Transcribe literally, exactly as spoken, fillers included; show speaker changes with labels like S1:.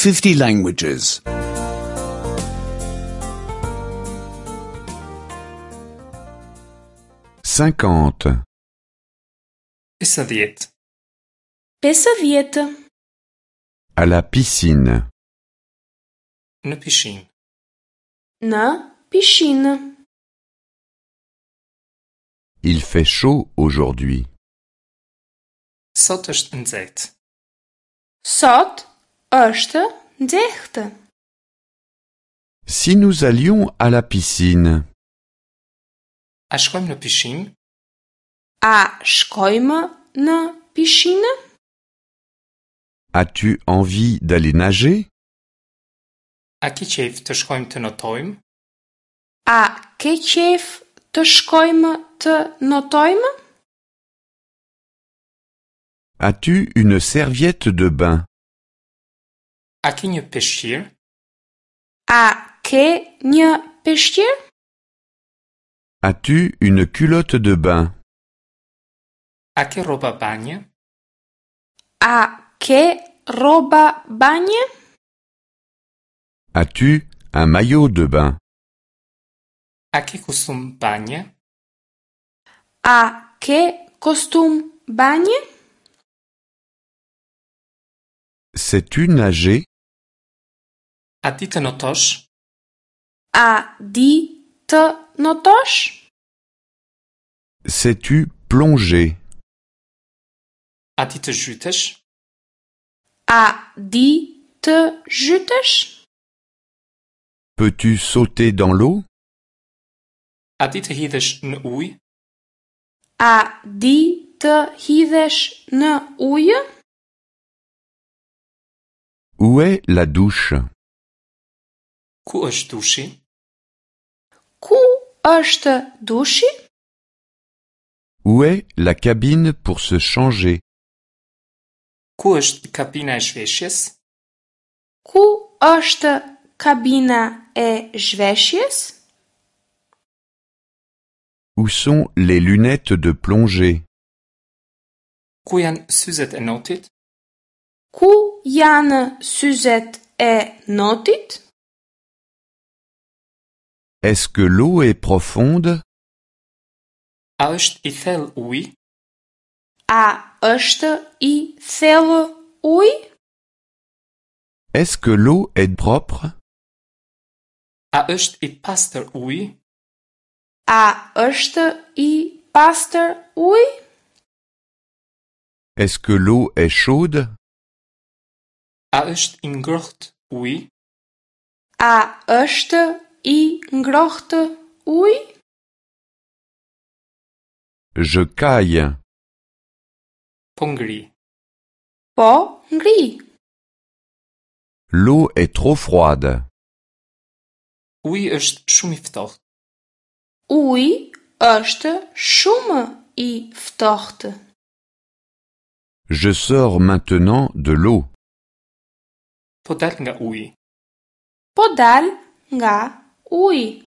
S1: fifty languages.
S2: cinquante,
S3: Pesëdhjetë,
S4: Pesëdhjetë.
S2: À la piscine.
S3: Në pishinë.
S4: Në pishinë.
S2: Il fait chaud aujourd'hui.
S3: Sot është nxehtë.
S4: Sot është nxehtë.
S2: Si nous allions à la piscine?
S3: A shkojmë në pishinë?
S4: A shkojmë në pishinë?
S2: As-tu envie d'aller nager?
S3: A ke qejf të shkojmë të notojmë?
S4: A ke qejf të shkojmë të notojmë?
S2: As-tu une serviette de bain?
S3: A ke një peshqir?
S4: A ke një peshqir?
S2: As-tu une culotte de bain?
S3: A ke rroba banje?
S4: A ke rroba banje?
S2: As-tu un maillot de bain?
S3: A ke kostum banje?
S4: A ke kostum banje?
S2: Sais-tu nager?
S3: A di të notosh?
S4: A di të notosh?
S2: Sais-tu plonger?
S3: A di të zhytesh?
S4: A di të zhytesh?
S2: Peux-tu sauter dans l'eau?
S3: A di të hidhesh në ujë?
S4: A di të hidhesh në ujë?
S2: Où est la douche?
S3: Ku është dushi?
S4: Ku është dushi?
S2: Où est la cabine pour se changer?
S3: Ku është kabina e zhveshjes?
S4: Ku është kabina e zhveshjes?
S2: Où sont les lunettes de plongée?
S3: Ku janë syzet e notit?
S4: Ku janë syzet e notit?
S2: Est-ce que l'eau est profonde?
S3: A është i thellë uji?
S4: A është i thellë uji?
S2: Est-ce que l'eau est propre?
S3: A është i pastër uji?
S4: A është i pastër uji?
S2: Est-ce que l'eau est chaude?
S3: A është i ngrohtë uji?
S4: A është i ngrohtë uji?
S2: Je caille.
S3: Po ngri.
S4: Po ngri.
S2: L'eau est trop froide.
S3: Uji është shumë i ftohtë.
S4: Uji është shumë i ftohtë.
S2: Je sors maintenant de l'eau.
S3: Po dal nga uji.
S4: Po dal nga uji.